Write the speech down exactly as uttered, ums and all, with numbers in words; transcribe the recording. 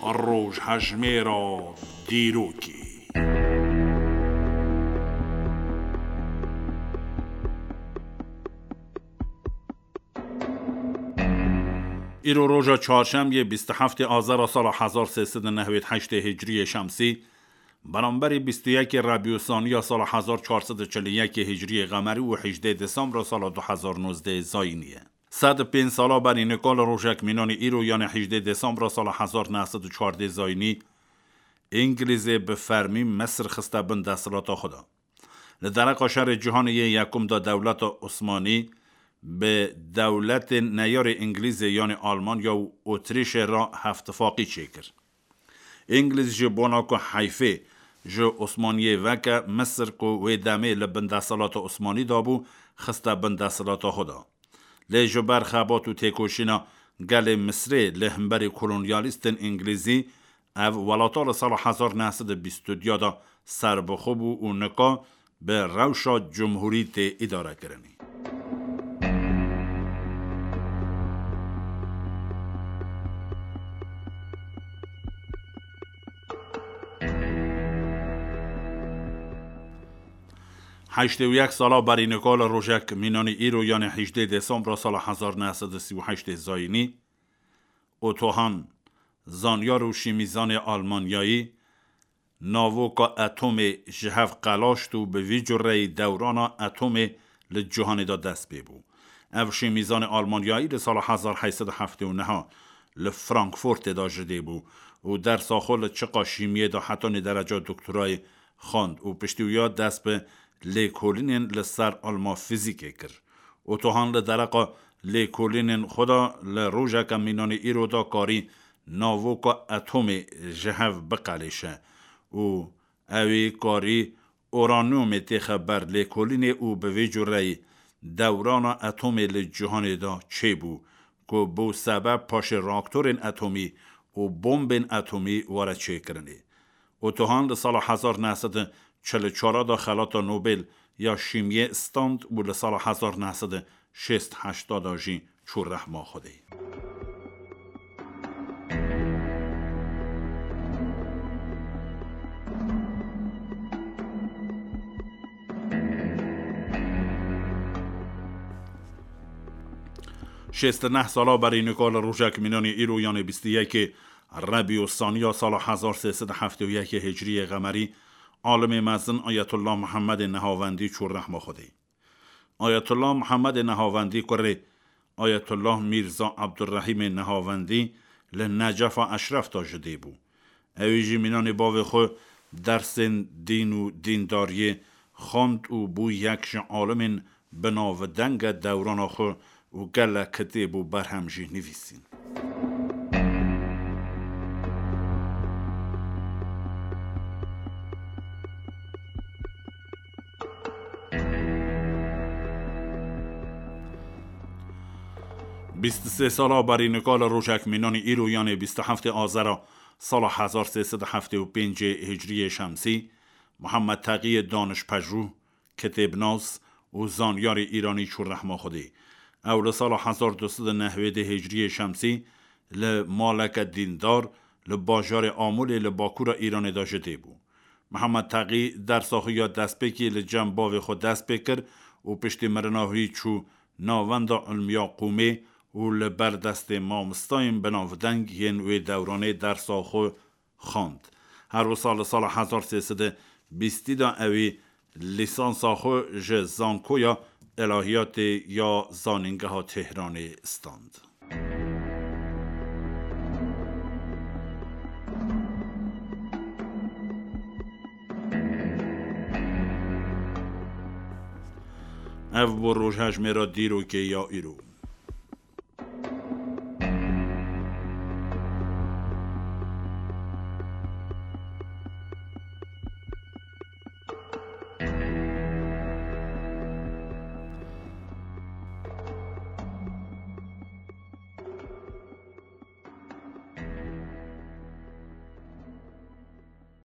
Rojhejmêra dîrokê. Îro roja çarşemiyê bîst û heftê Azera sala hezar sê sed û nehwêd heştê Hicriyê Şemsî, beramberî bîst û yekê Rebîûsaniya sala hezar çar sed û çil û yekê Hicriyê Qemerî û hejdê Desembra sala du hezar nozdeh Zayînî ye. Sed û pênc sala berî nika li rojek mînanî îro, yanê hejdê Desembra sala hezar neh sed û çardeh Zayînî, Îngilîzê bi fermî Misir xiste bin desthilata xwe de. Li dereqa şerê cîhanê yê yekum de dewleta Osmanî bi dewletên neyarê Îngilîzê, yanî Almanya û Otrîşê re hevtifaqî çêkir. Îngilîz ji bona ku heyfê ji Osmaniyê veke, Misir ku wê demê li bin desthilata Osmanî de bû, xiste bin desthilata xwe de. Lê ji ber xebat û têkoşîna gelê Misrê li hemberî kolonyalîstên Îngilîzî, ev welata li sala hezar neh sed û bîst û duya de serbixwe bû û nika bi rewşa cumhurî tê îdarekirinê. Heştê û yek sala berî nika li rojek mînanî îro, yanê hejdê Desembra sala hezar neh sed û sî û heştê Zayînî, Otto Hahn, zanyar û şîmîzanê Almanyayî, navoka atomê ji hev qelaşt û bi vî cureyî dewrana atomê li cîhanê de dest pê bû. Ev şîmîzanê Almanyayî li sala hezar heşt sed û heftê û neh li Frankfurtê de ji dê bû û dersa xwe li çiqa şîmiyê de hetanî dereca doktorayê xwend û piştî wiya dest bi lêkolînên li ser ilma fîzîkê kir. Otto Hahn li dereqa lêkolînên xwe de li rojeke mînanî îro de karî navoka atomê ji hev biqelêşe û ewî karî uranyumê têxe ber lêkolînê û bi vê cureyî dewrana atomê li cîhanê de çêbû, ku bû sebeb paşê reaktorên atomî û bombên atomî were çêkirinê. Otto Hahn li sala hezar neh sed û çil û çar de xelata Nobel ya şîmiyê stand û li sala hezar neh sed û şêst heşt de jî çû rehma Xwedê. Şêst û neh sala berî nika li rojek mînanî îro, yanê bîst û yekê Rebîûsaniya sala hezar sê sed û heftê û yekê Hicriyê Qemerî, alimê mezin Ayetullah Muhammedê Nehavendî çû rehma Xwedê. Ayetullah Muhammedê Nehavendî kurê Ayetullah Mîrza Abdurrehîmê Nehavendî li Necefa Eşref de ji dê bû. Ewî jî mînanê bavê xwe dersên dîn û dîndariyê xwend û bû yek ji alimên bi navdenge dewrana xwe û gelek kitêb û berhem jî nivîsîn. Bîst û sê sala berî nika li rojek mînanî îro, yanê bîst û heftê Azera sala hezar sê sed û heftê û pêncê Hicriyê Şemsî, Mihemed Teqiyê danişpejû, kitêbnas û zanyarê îranî çû rehma Xwedê. Ew li sala hezar du sed û nehwêdê Hicriyê Şemsî li maleke dîndar li bajarê Amûlê li bakûra Îranê de ji dê bû. Mihemed Teqî dersa xwe ya destpêkê li cem bavê xwe dest pê kir û piştî mirina wî çû Navenda Ilmiya Qûmê û li ber destê mamostayên binavdeng yên wê dewranê dersa xwe xwend. Her wisa li sala hezar sê sed û bîstî de ewî lîsansa xwe ji Zankoya Elahiyatê ya Zanîngeha Tehranê stand. Ev bû rojhejmêra dîrokê ya îro.